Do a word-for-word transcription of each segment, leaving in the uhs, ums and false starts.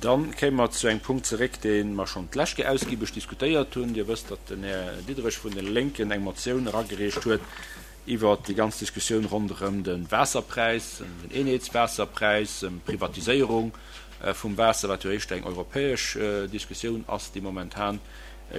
Dann kéime mer zu engem Punkt zeréck, dee mer schonn d'lescht Kéier ausgiebeg diskutéiert hunn. Dir wësst, datt den Här Diderich vun de Lénken eng Motioun eragereecht huet iwwert déi ganz Diskussioun ronderëm de Waasserpräis, den Eenheetswaasserpräis, ëm d'Privatiséierung vum Waasser, wat jo éischter eng europäesch Diskussioun ass, déi momentan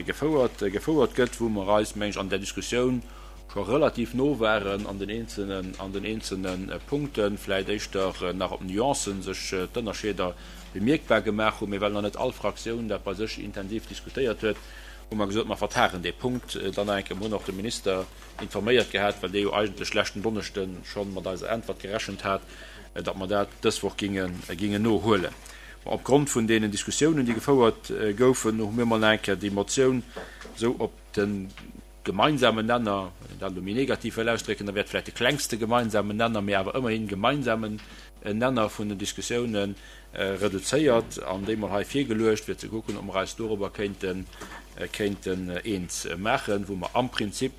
gefouert gefouert gëtt, wou mer eis, meng ech, an där Diskussioun scho relativ no waren an den eenzelnen an den eenzelne Punkten, vläicht éischter nach op Nuancen sech d'Ënnerscheeder bemierkbar gemaach hunn, mee well nach net all Fraktioun dat bei sech intensiv diskutéiert huet, hu mer gesot, mer vertagen dee Punkt dann nach eng Kéier. Mer hunn och de Minister informéiert gehat, well dee jo eigentlech leschten Donneschde scho mat eiser Äntwert gerechent hat, datt mer dat dës Woch gingen gingen nohuelen. Bon, opgrond vun deenen Diskussiounen, déi gefouert goufen, hu mir mol nach eng Kéier déi Motioun esou op de gemeinsamen Nenner, wann een dat elo méi negativ wëll ausdrécken, da wär et vläicht de klengste gemeinsamen Nenner, mee awer ëmmerhin gemeinsamen Nenner vun den Diskussiounen reduzéiert an déi mol hei virgeluecht, fir ze kucken, ob mer eis dorobber kéinten, kéinten eens maachen, wou mer am Prinzip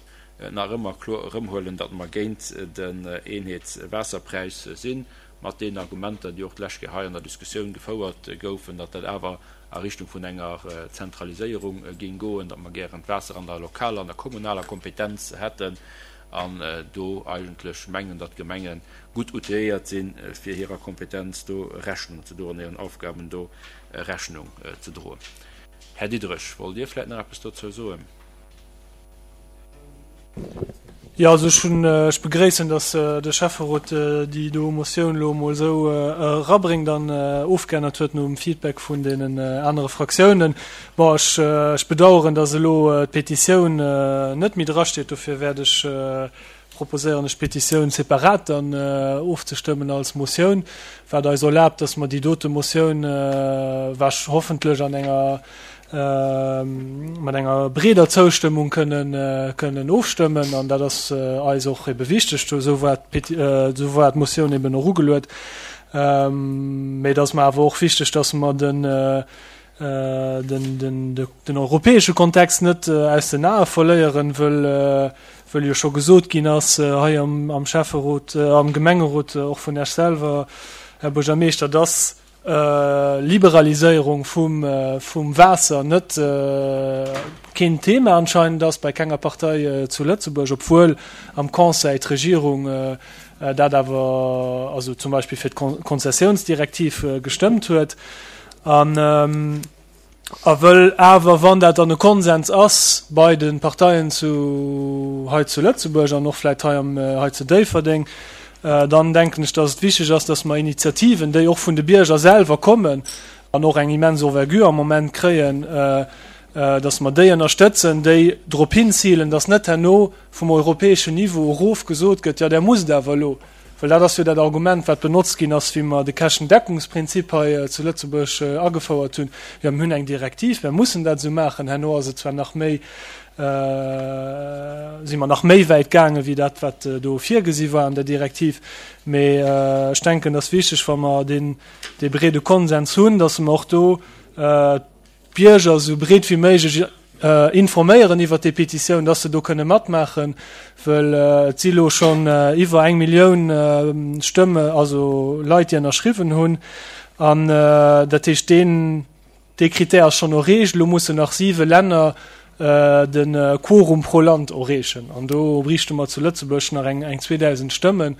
nach ëmmer kloer erëmhuelen, datt mer géint den Eenheetswaasserpräis sinn, mat deenen Argumenter, déi och d'lescht Kéier hei an der Diskussioun gefouert goufen, datt dat awer a Richtung vun enger Zentraliséierung géing goen, datt mer gären d'Waasser an der lokaler, an der kommunaler Kompetenz hätten an do eigentlech mengen, datt d'Gemenge gutt outilléiert sinn, fir hirer Kompetenz do Rechnung ze droen, hiren Aufgaben do Rechnung ze droen. Här Diderich, wollt Dir vläicht nach eppes dozou soen? Jo, also ech hunn, ech begréissen, datt de Schäfferot déi do Motioun elo emol esou erabréngt an ofgeännert huet nom Feedback vun deenen anere Fraktiounen. Bon, ech, ech bedauern, datt elo d'Petitioun net méi drasteet. Dofir wäert ech proposéieren, ech d'Petitioun separat dann ofzestëmmen als Motioun, wat eis erlaabt, datt mer déi dote Motioun wahrsch hoffentlech an enger mat enger breeder Zoustëmmung kënnen kënnen ofstëmmen. An dat ass eis och ebe wichteg. Esou war esou war d'Motioun eben och ugeluet. Mee et ass mer awer och wichteg, datt mer den den den den europäesche Kontext net aus den Ae verléieren, wëll wëll jo scho gesot ginn ass hei am am Schäfferot, am Gemengerot, och vun Iech selwer, Här Buergermeeschter, datt Liberaliséierung vum vum Waasser net keen Thema anscheinend ass bei kenger Partei zu Lëtzebuerg, obwuel am Conseil d'Regierung dat awer, also zum Beispill fir d'Konzessionsdirektiv gestëmmt huet. An a wëll awer, wann dat dann e Konsens ass bei de Parteien zu hei zu Lëtzebuerg an och vläicht hei am hei zu Déifferdeng, dann denken ech, dass et wichteg ass, dass mer Initiativen, déi och vun de Bierger selwer kommen an och eng immens Envergure am Moment kréien, dass mer déi ënnerstëtzen, déi drop hinzilen, dass net herno vum europäeschen Niveau erof gesot gëtt, jo, där musst awer elo, well dat ass jo dat Argument, wat benotzt ginn ass, wéi mer de Käschtendeckungsprinzip hei zu Lëtzebuerg agefouert hunn, jo, mir hunn eng Direktiv, mir mussen dat esou maachen. Herno ass et zwar nach méi, si mer nach méi wäit gaangen, wéi dat, wat do virgesi war an der Direktiv, mee ech denken, et ass wichteg, wa mer deen, dee breede Konsens hunn, dass mer och do d'Bierger esou breet wéi méiglech informéieren iwwert déi Petitioun, dass se do kënne matmaachen, well et si lo schonn iwwer eng Millioun Stëmme, also Leit, déi ënnerschriwwen hunn. An dat heescht, deen, dee Critère ass schonn erreecht. Elo mussen nach siwe Länner de Quorum pro Land erreechen. An do bräichte mer zu Lëtzebuerg nach eng, eng zweedausend Stëmmen.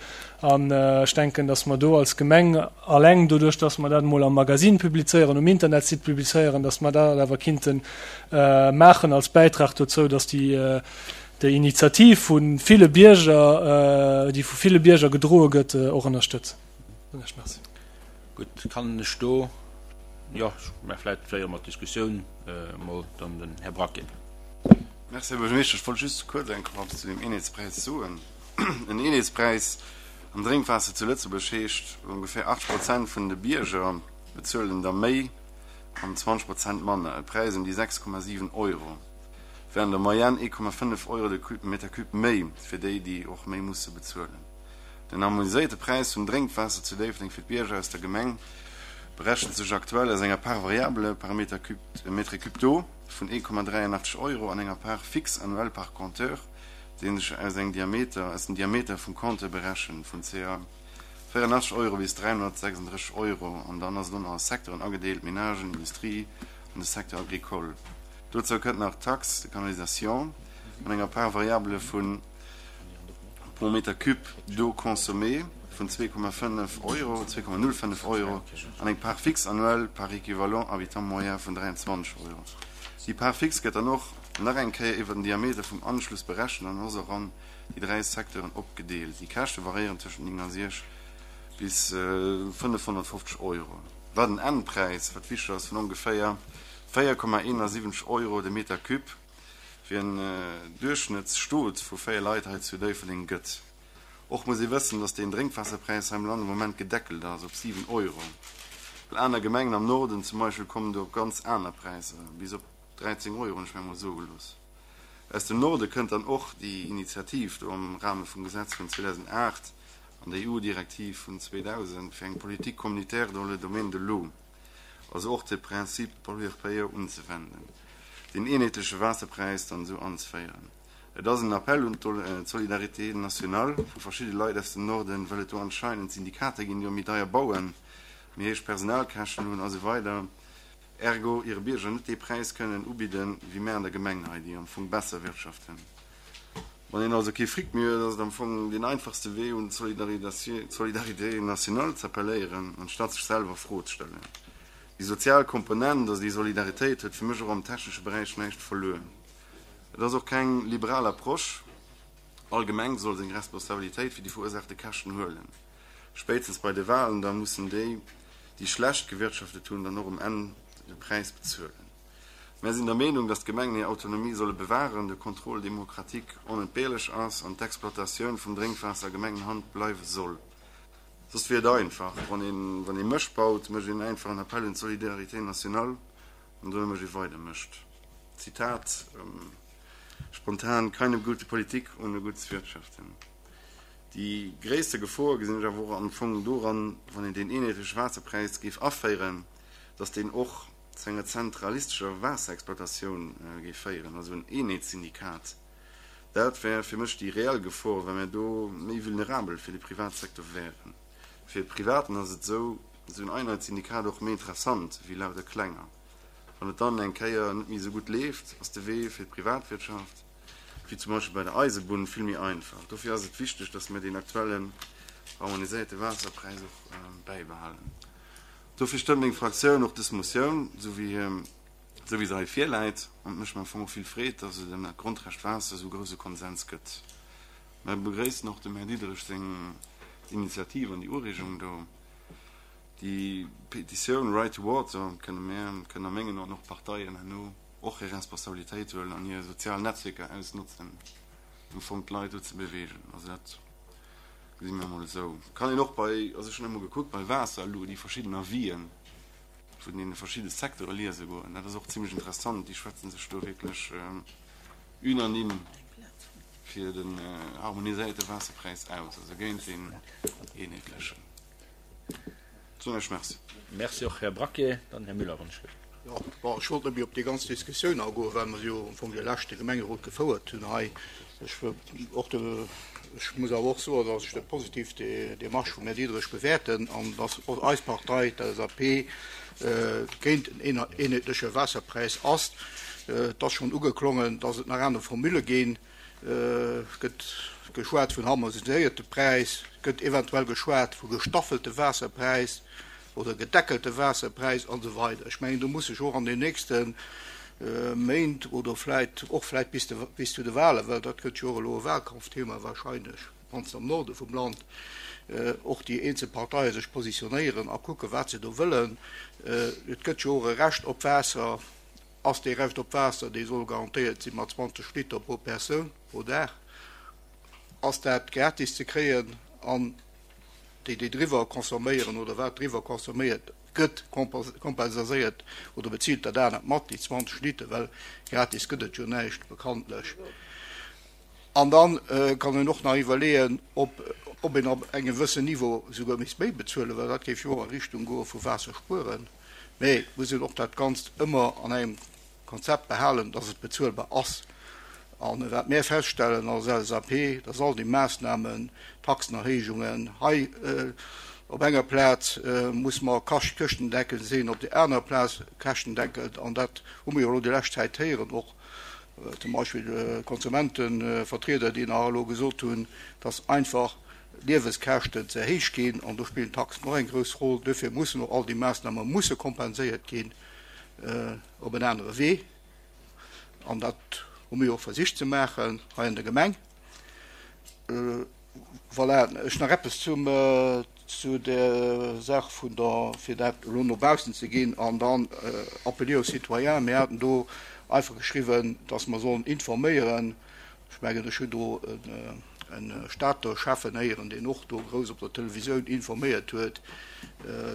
An ech denken, dass mer do als Gemeng alleng doduerch, dass mer dat emol am Magasinn publizéieren, um Internetsite publizéieren, dass mer dat awer kinnte maachen als Bäitrag dozou, dass déi, déi Initiativ vu ville Bierger, déi vu ville Bierger gedroe gëtt, och ënnerstëtzen. Merci. Gutt, kann ech do, jo, mä vläicht féiere mer d'Diskussioun emol dann den Här Brack ginn. Merci, Här Buergermeeschter. Ech wollt just kuerz eng Kéier eppes zu deem Eenheetspräis soen. En Eenheetspräis am Drénkwaasser zu Lëtzebuerg heescht, ongeféier achtzeg Prozent vun de Bierger bezuelen der méi an zwanzeg Prozent manner, e Präis ëm déi sechs Komma siwen Euro, wär an der Moyenne ee Komma fënnef Euro de Meter cube méi fir déi, déi och méi musse bezuelen. Den harmoniséierte Präis vum Drénkwaasser zu Déifferdeng fir d'Bierger aus der Gemeng berechent sech aktuell aus enger Part variable par mètre cube d'eau vun ee Komma dräianachtzeg Euro an enger Part fixe annuelle par compteur, dee sech aus engem Diameter, aus dem Diameter vum Compteur berechent, vun ca véierundachtzeg Euro bis dräihonnertsechsunddrësseg Euro an dann ass et och nach a Secteuren agedeelt, Menagen, Industrie an de Secteur agricole. Dozou kënnt nach d'Taxe de canalisation an enger Part variable vun pro Meter cube d'eau consommée vun zwee Komma fënnef Euro, zwee Komma null fënnef Euro, an eng Part fixe annuelle par équivalent habitant moyen vun dräianzwanzeg Euro. Déi Part fixe gëtt dann och nach eng Kéier iwwer den Diameter vum Anschluss berechent an ass och an déi dräi Secteuren opgedeelt. Déi Käschte variéieren tëschent néngasiechzeg bis fënnefhonnertfofzeg Euro, wat en Endpräis, wat wichteg ass, vun ongeféier véier Komma eenasiwwenzeg Euro de Meter cube fir en Duerchschnëttsstot vu véier Leit hei zu Déifferdeng gëtt. Och muss ee wëssen, dass deen Drénkwaasserpräis hei am Land am Moment gedeckelt ass op siwen Euro. Well aner Gemengen am Norden zum Beispill kommen do op ganz aner Präisser, bis op dräizéng Euro hunn ech mir emol soe gelooss. Aus dem Norde kënnt dann och déi Initiativ do am Rahme vum Gesetz vun zweedausendacht an der E U-Direktiv vun zweedausend fir eng Politique communautaire dans le domaine de l'eau, also och de Principe pollueur-payeur unzewenden, deen eenheetleche Waasserpräis dann esou anzeféieren. Et ass en Appell un d'Solidarité nationale vu verschidde Leit aus dem Norden, well et do anscheinend Syndikater ginn, déi och méi deier bauen, méi héich Personalkäschten hunn a sou weider, ergo hire Bierger net dee Präis kënnen ubidden, wéi mär an der Gemeng hei, déi am Fong besser wirtschaften. Wann een also kee Fric méi huet, ass et am Fong deen einfachste Wee, un d'Solidarité nationale z'appelléieren, anstatt sech selwer Fro ze stellen. Déi sozial Komponent, also déi Solidaritéit, huet fir mech och am technesche Beräich näischt verluer. Et ass och keng liberal Approche. All Gemeng soll seng Responsabilitéit fir déi verursaachte Käschten huelen. Spéitstens bei de Walen da mussen déi, déi schlecht gewirtschaftet hunn, dann och um Enn de Präis bezuelen. Mär sinn der Meenung, datt d'Gemengen hir Autonomie solle bewahren, de Contrôle démocratique onentbehrlech ass an d'Exploitatioun vum Drénkwaasser a Gemengenhand bleiwe soll. Soss wier et einfach, wann een, wann ee Mësch baut, mécht een einfach en Appel un d'Solidarité nationale an dono mécht ee weider Mëscht. Zitat, spontan, Keine gute Politik ohne gutes Wirtschaften. Déi gréisste Gefor gesinn ech awer och am Fong doran, wann een deen eenheetleche Waasserpräis géif aféieren, datt deen och zu enger zentralistescher Waasserexploitatioun géif féieren, also en Eenheetssyndikat. Dat wär fir mech déi reell Gefor, well mir do méi vulnerabel fir de Privatsecteur wären. Fir de Privaten ass et esou, esou en Einheitssyndikat och méi interessant wéi lauter klenger. Wann et dann eng Kéier net méi esou gutt leeft, ass de Wee fir d'Privatwirtschaft, wéi zum Beispill bei der Eisebunn, vill méi einfach. Dofir ass et wichteg, dass mir deen aktuellen harmoniséierte Waasserpräis och bäibehalen. Dofir stëmmt meng Fraktioun och dës Motioun, esou wéi esou wéi se hei virläit. An et mécht mer am Fong och vill Freed, dass et ëm dat Grondrecht Waasser esou e grouse Konsens gëtt. Mer begréissen och dem Här Diderich seng Initiativ an déi Ureegung do. Déi Petitioun Right to Water kënne mir, kënnen a mengen Aen och d'Parteien herno och hir Responsabilitéit huelen an hir sozial Netzwierker ausnotzen, am Fong d'Leit do ze beweegen. Also dat gesi mir emol esou. Kann een och bei, also ech hunn emol gekuckt, bei Waasserlu déi verschidden Avisen vun deene verschidde Secteure liese goen. Dat ass och zimlech interessant. Déi schwätze sech do wierklech unanime fir den harmoniséierte Waasserpräis aus, also géint deen eenheetlechen. Soen ech Merci. Merci och, Här Braquet. Dann Här Müller, wann ech wëll. Jo, bon, ech wollt net méi op déi ganz Diskussioun agoen, well mer jo am Fong de leschte Gemengerot gefouert hunn hei. Ech wëll och de, ech muss awer och soen, dass ech dat positiv, déi Démarche vum Här Diderich bewäerten an dass och eis Partei, d'L S A P, géint en eenheetleche Waasserpräis ass. Et ass schonn ugeklongen, dass et nach aner Formule ginn. Et gëtt geschwat vun harmoniséierte Präis, et gëtt eventuell geschwat vu gestaffelte Waasserpräis oder gedeckelte Waasserpräis an esou weider. Ech mengen, do muss sech och an den nächste Méint oder vläit och vläit bis de, bis zu de Wahlen, well dat gëtt jo och elo e Wahlkampfthema wahrscheinlech, mannst am Norde vum Land, och déi eenzel Parteie sech positionéieren a kucken, wat se do wëllen. Et gëtt jo och e Recht op Waasser. Ass dee Recht op Waasser, dee soll garantéiert si mat zwanzeg Liter pro Persoun pro Dag, ass dat gratis ze kréien an déi, déi driwwer consomméieren oder wat driwwer consomméiert gëtt, kompensaséiert oder bezilt dat anert mat, déi zwanzeg Liter, well gratis gëtt et jo näischt bekanntlech. An da kann een och nach iwwerleeën, ob ob een ab engem gewëssen Niveau souguer misst méi bezuelen, well dat géif jo och a Richtung goe vu Waasserspueren. Mee et muss een och dat Ganzt ëmmer an engem Konzept behalen, dass et bezuelbar ass. An wat mär feststellen als L S A P, dass all déi Maassnamen, Taxenerhéijungen, hei op enger Plaz muss mer käschtendeckend sinn, op där anerer Plaz käschtendeckend, an dat hu mer jo elo déi lescht Zäit héieren, och zum Beispill Konsumentevertrieder, déi nach elo gesot hunn, dass einfach Lieweskäschten ze héich ginn, an do spillen d'Taxen och eng grouss Roll. Duerfir mussen och all déi Maassname musse kompenséiert ginn op en anere Wee, an dat hu mir och versicht ze maachen hei an der Gemeng. Voilà, ech nach eppes zum zu der Saach vun der, fir dat elo no baussen ze ginn an dann appeler aux citoyens. Mir haten do einfach geschriwwen, dass mer sollen informéieren. Ech mengen, ech hunn do e Stater Schäffen héieren, deen och do grouss op der Televisioun informéiert huet,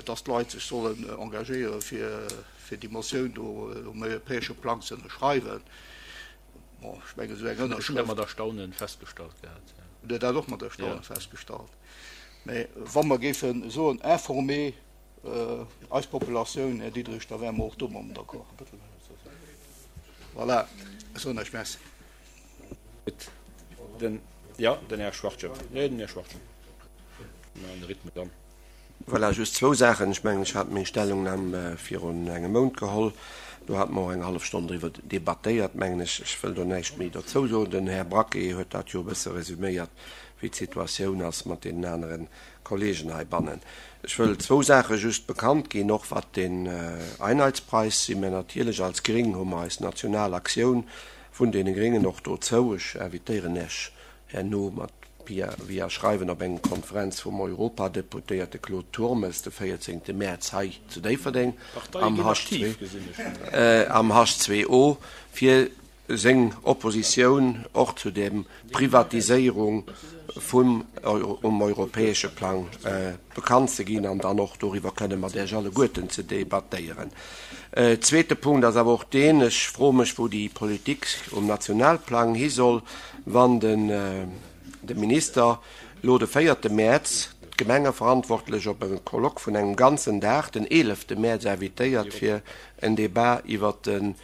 dass d'Leit sech sollen engagéiere fir fir déi Motioun do um europäesche Plang ze ënnerschreiwen. Bon, ech mengen, esou eng Ënnerschrëft. Ech hunn dat mat Erstaunen festgestallt gehat, jo. Hutt Dir dat och mat Erstaunen festgestallt? Mä wa mer géife soen, informer eis Populatioun, Här Diderich, da wäre mer och domadden d'accord. Voilà, ech soen Iech Merci. Gutt, den, jo, den Här Schwachtgen. Nee, den Här Schwachtgen. Mir halen de Rhythme dann. Voilà, just zwou Saachen. Ech mengen, ech hat meng Stellungnam virun engem Mount geholl. Do hate mer och eng hallef Stonn driwwer debattéiert, mengen ech. Ech wëll do näischt méi dozou soen. Den Här Braquet huet dat jo e bësse resüméiert, wéi d'Situatioun ass mat deenen anere Kollegen heibannen. Ech wëll zwou Saache just bekannt ginn, och wat den Einheitspreis si mir natierlech als Gring, hu mer eis national Aktioun vun deene Gringen och dozou. Ech invitéieren Iech herno mat via Schreiwen op eng Konferenz vum Europadeputéierte Claude Turmes de véierzéngte Mäerz hei zu Déifferdeng am H zwei O fir seng Oppositioun och zu der Privatiséierung vum um europäesche Plang bekannt ze ginn an dann och doriwwer kënne mat Iech alleguerten ze debattéieren. Zweete Punkt ass awer och deen, ech froe mech, wou déi Politik um Nationalplang hi soll, wann den de Minister lo de véierte Mäerz d'Gemengeverantwortlech op e Colloque vun engem ganzen Dag den eelefte Mäerz invitéiert, fir en Debat iwwert den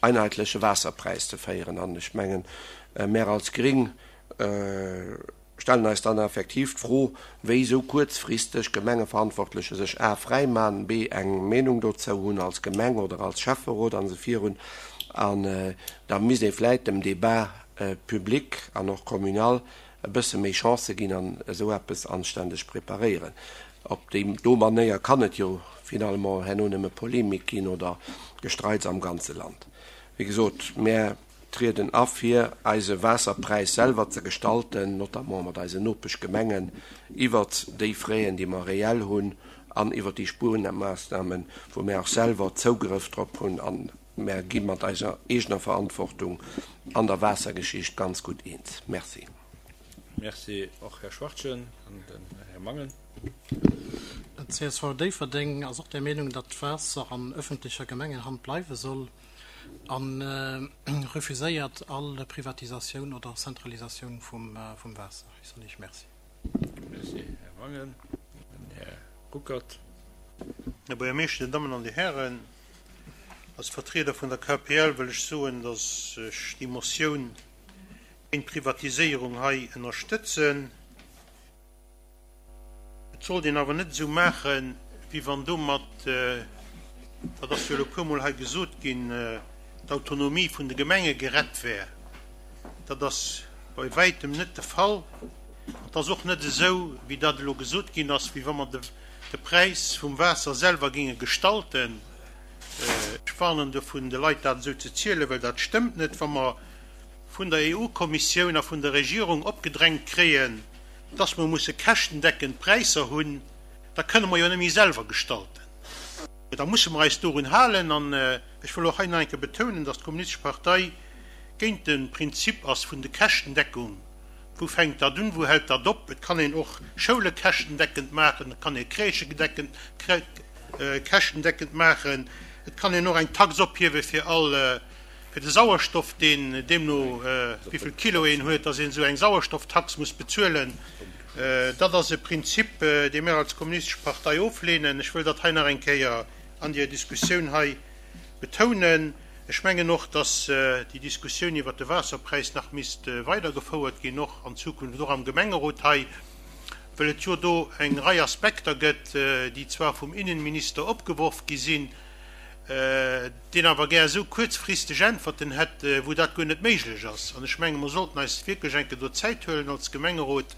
einheitleche Waasserpräis ze féieren. An ech mengen, mär als Gring stellen eis dann effektiv d'Fro, wéi esou kuerzfristeg Gemengeverantwortleche sech a fräi man, b eng Meenung dozou hunn als Gemeng oder als Schäfferot an esou virun. An da misst ee vläit dem Débat public an och communal e bësse méi Chancë ginn an esou eppes anständeg preparéieren. Op déi do Manéier kann et jo finalement herno nëmme Polemik ginn oder Gestreits am ganze Land. Wéi gesot, mär trieden a fir eise Waasserpräis selwer ze gestalten, notamment mat eisen Nopeschgemengen, iwwert déi Fräen, déi mer reell hunn, an iwwert déi Spuermaassnamen, wou mär och selwer Zougrëff drop hunn, an mär gi mat eiser eegener Verantwortung an der Waassergeschicht ganz gutt eens. Merci. Merci och, Här Schwachtgen. An den Här Mangen. C S V Déifferdeng ass och der Meenung, datt d'Waasser an ëffentlecher Gemengenhand bleiwe soll a refuséiert all Privatisatioun oder Zentralisatioun vum Waasser. Ech soen Iech Merci. Merci, Här Mangen. Den Här Ruckert. Här Buergermeeschter, Dir Dammen an Dir Hären, als Vertrieder vun der K P L wëll ech soen, datt ech déi Motioun géint d'Privatiséierung hei ënnerstëtzen. Et sollt een awer net esou maachen, wéi wann domat, dat ass jo elo e puermol hei gesot ginn, d'Autonomie vun de Gemenge gerett wär. Dat ass bei wäitem net de Fall. An et ass och net esou, wéi dat elo gesot ginn ass, wéi wa mer de Präis vum Waasser selwer géinge gestalten. Ech warnen dovun, de Leit dat esou ze zielen, well dat stëmmt net. Wa mer vun der E U-Kommissioun a vun der Regierung opgedrängt kréien, dass mer musse käschtendeckend Präisser hunn, da kënne mer jo net méi selwer gestalten. Da musse mer eis dorun halen. An ech wëll och hei nach eng Kéier betounen, dass d'Kommunistesch Partei géint de Prinzip ass vun de Käschtendeckung. Wou fänkt dat un, wou hält dat op? Et kann een och Schoule käschtendeckend maachen, et kann ee Crèchë käschtendeckend maachen, et kann een och eng Tax ophiewe fir all, fir de Sauerstoff, deen deemno wéi vill Kilo een huet, dass een esou eng Sauerstofftax muss bezuelen. Dat ass e Prinzip, dee mir als Kommunistesch Partei ofleenen. Ech wëll dat hei nach eng Kéier an deer Diskussioun hei betounen. Ech mengen och, dass déi Diskussioun iwwert de Waasserpräis nach misst weidergefouert ginn, och an Zukunft, och am Gemengerot hei, well et jo do eng Rei Aspekter gëtt, déi zwar vum Innenminister opgeworf gi sinn, deen awer gär esou kuerzfristeg Äntwerten hätt, wou dat guer net méiglech ass. An ech menge mer sollten eis wierklech eng Kéier do Zäit huelen als Gemengerot,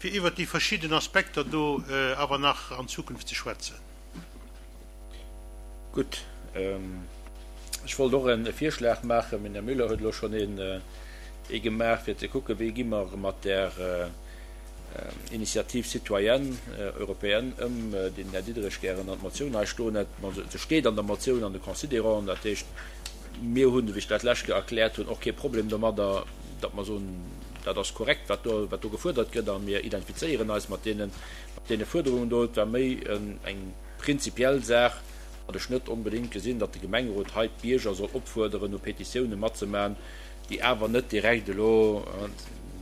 fir iwwert déi verschidden Aspekter do awer nach an Zukunft ze schwätzen. Gutt, ech wollt och e Virschlag maachen, mee den Här Müller huet elo schonn een ee gemaach, fir ze kucken, wéi gi mer mat där Initiative citoyenne européenne ëm, déi den Här Diderich gären an d'Motioun hei stoen hätt. Bon, se steet an der Motioun an de Considéranten, dat heescht, mir hunn, wéi ech dat d'lescht Kéier erkläert hunn, och kee Problem domadder, datt mer soen, dat ass korrekt, wat do, wat do gefuerdert gëtt, a mir identifizéieren eis mat deene, mat deene Fuerderungen do. Et war méi eng prinzipiell Saach, datt ech net onbedéngt gesinn, datt de Gemengerot hei d'Bierger soll opfuerderen, u Petitioune matzemaachen, déi awer net direkt elo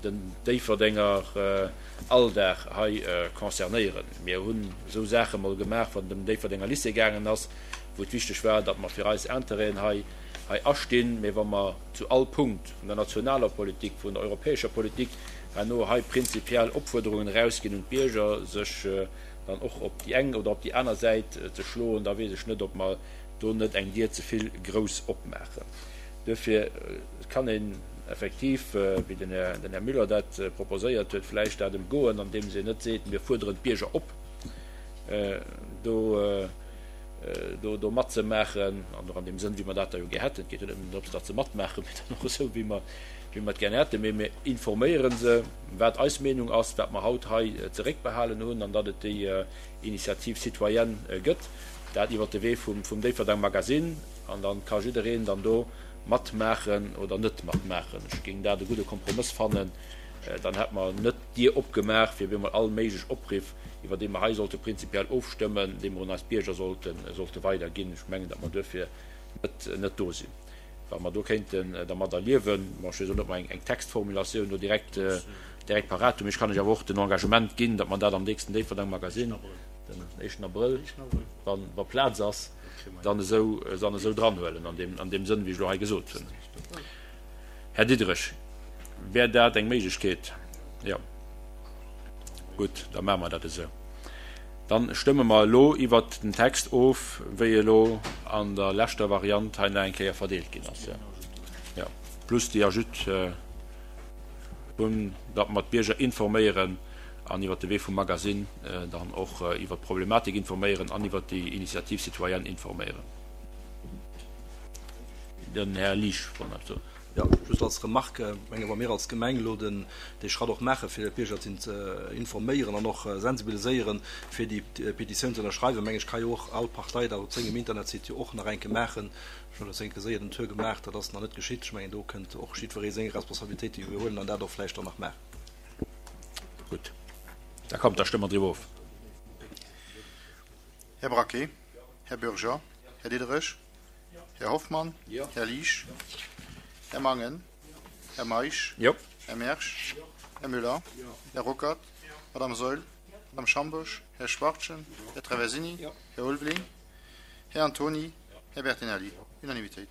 den Déifferdenger Alldag hei concernéieren. Mir hunn esou Saache mol gemaach, wann et ëm den Déifferdenger Lycée gaangen ass, wou et wichteg war, datt mer fir eis Intérêten hei hei astinn. Mee wa mer zu all Punkt vun der nationaler Politik, vun der europäescher Politik herno hei prinzipiell Opfuerderungen erausginn un d'Bierger, sech dann och op déi eng oder op déi aner Säit ze schloen, da weess ech net, ob mer do net eng Dier ze vill grouss opmaachen. Duerfir kann een effektiv, wéi den Här Müller dat proposéiert huet, vläicht dat emgoen, andeems een net seet, mir fuerderen d'Bierger op, do do matzemaachen, an och an deem Sënn, wéi mer dat da jo gär hätten. Et geet jo net nëmmen drëms, datt se matmaachen, mee dann och esou, wéi mer wéi mer et gär hätten. Mee mir informéiere se, wat eis Meenung ass, wat mer haut hei zeréckbehalen hunn, an datt et déi Initiative citoyenne gëtt, dat iwwert de Wee vum vum Déifferdang Magazine, an da ka jiddereen dann do matmaachen oder net matmaachen. Ech géing dat e gudde Kompromëss fannen. Dann hätte mer net d'Dier opgemaach fir op eemol all méiglech Opriff, iwwer déi mer hei sollte prinzipiell ofstëmmen, déi mer un eis Bierger sollte sollte weiderginn. Ech mengen, datt mer duerfir net net do sinn. Wa mer do kéinten dermadder liewen, bon, ech weess elo net, ob mer eng eng Textformulatioun do direkt direkt parat hunn, mee ech kann lech awer och den Engagement ginn, datt mer dat am nächsten Déifferdang Magazine, den éischten Abrëll, wa wa Plaz ass, dann esou dann esou dranhuelen an deem an deem Sënn, wéi ech elo hei gesot hunn. Här Diderich, wär dat eng Méiglechkeet? Jo. Gutt, da maache mer dat esou. Dann stëmme mer elo iwwert den Text of, wéi e elo an der leschter Variant hei nach eng Kéier verdeelt ginn ass. Jo, plus déi Ajoute vun, datt mer d'Bierger informéieren an iwwert de Wee vum Magasinn dann och iwwert d'Problematik informéieren an iwwert déi Initiative citoyenne informéieren. Den Här Liesch wollt nach eppes soen. Jo, just als Remarque, ech menge wa mir als Gemeng elo den dee Schratt och maache fir d'Bierger ze informéieren an och sensibiliséieren, fir déi Petitioun ze ënnerschreiwen, meng ech ka jo och all Partei dat op sengem Internetsite jo och nach eng Kéier maachen. Ech hunn elo enke séier den Tour gemaach, dat ass nach net geschitt. Ech mengen do kënnt och jiddweree seng Responsabilitéit iwwerhuelen an dat och vläicht dann nach maachen. Gutt, da kommt, da stëmme mer driwwer of. Här Braquet, Här Bürger, Här Diderich. Här Hoffmann, Här Liesch, Här Mangen, Här Meisch, Här Mersch, Här Müller, Här Ruckert, Madame Saeul, Madame Schambourg, Här Schwachtgen, Här Traversini, Här Ulveling, Här Antony, Här Bertinelli. Unanimitéit.